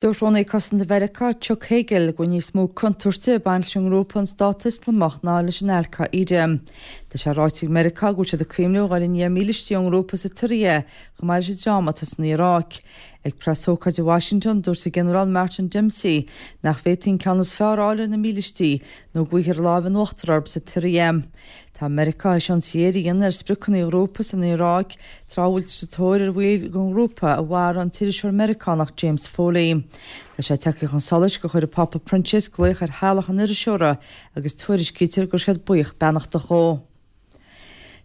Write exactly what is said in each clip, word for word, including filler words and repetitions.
Dúirt Rúnaí Cosanta Mheiriceá Chuck Hagel go bhfuil níos mó contúirte ag baint leis an ngrúpa an Stát Ioslamach ná leis an Al-Qaeda. Tá sé ráite ag Meiriceá go bhfuil siad ag cuimhneamh a dhul i ndiaidh mílístí ón ngrúpa sa tSiria chomh maith leis an dream atá san Iaráic. Ag preasócáid i Washington dúirt an Ginearál Martin Dempsey nach bhféadfaí an ceann is fearr a fháil ar na mílístí nó go bhfaighfear lámh in uachtar orthu sa tSiria. Tá Meiriceá théis ionsaí a dhéanamh ar spriocanna an ghrúpa san Iaráic tráth a bhfuiltear sa tóir ar bhaill den ghrúpa a mharaigh an t-iriseoir Meiriceánach James Foley. Tá sé tagtha chun solais gur chuir an Pápa Proinsias glaoch ar theaghlach an iriseora agus tuairiscítear go raibh siad buíoch beannachtach dhó.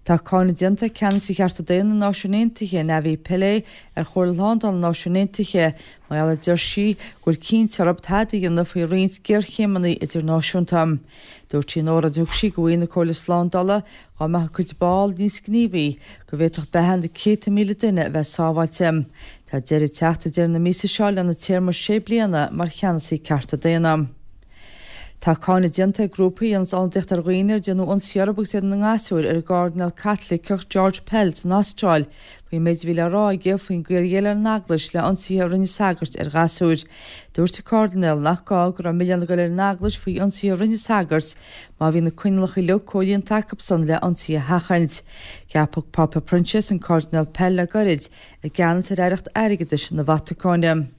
Tá cáineadh déanta ag ceannasaí chearta daonna na Náisiún Aontaithe, Navi Pillay, ar Chomhairle Shlándála na Náisiún Aontaithe mar gheall a deir sí go bhfuil cinnt orthu tada a dhéanamh faoi roinnt géarchéimeanna idirnáisiúnta. Dúirt sí in óráid a thug sí do bhaill na Comhairle Slándála dá mbeadh a cuid ball níos gníomhaí go bhféadfadh beatha na céadta míle duine a bheith sábháilte. Tá deireadh ag teacht ag deireadh na míosa seo lena téarma sé bliana mar cheannasaí cearta daonna. Tá cáineadh déanta ag grúpaí a dhéananns ionadaíocht ar dhaoine ar déanadh ionsaí orthu agus iad ina ngasúir ar an gCairdinéal Caitliceach George Pell san Astráil faoin méid a bhí le rá aige faoin gcaoi ar dhéileáil an Eaglais le ionsaithe a rinne sagairt ar ghasúir. Dúirt an Cairdinéal nach gá go raibh milleán ag dul ar an Eaglais faoi ionsaithe a rinne sagairt má bhí na coinníollacha uilig comhlíonta acusan le ionsaí a sheachaint. Ceapadh Pápa Proinsias an Cairdinéal Pell le gairid i gceannas ar Aireacht Airgeadais na Vatacáine.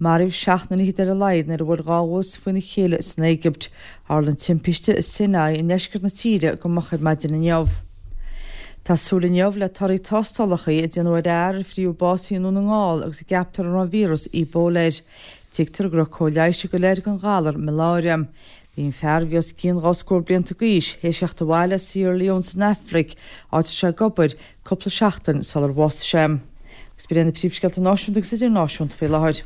Maraíodh seacht nduine fichead ar a laghad nuair a bhuail dhá bhus faoina chéile san Éigipt. Tharla an timpiste i Sinai i ndeisceart na tíre go moch ar maidin inniu. Tá súil inniu le torthaí tástálacha a déanadh ar fhear a fuair bás i nDún na nGall agus a gceaptar an raibh an víreas Ebola air. Tuigtear go raibh cóir leighis ag dul air don ghalar maláire. Bhí an fear, a bhí os cionn dhá scór blianta d'aois, théis theacht abhaile as Sierra Leone san Afraic, áit a raibh sé ag obair, cúpla seachtain sular bhásaigh sé. Agus b'in iad na príomhscéalta náisiúnta agus idirnáisiúnta faoi láthair.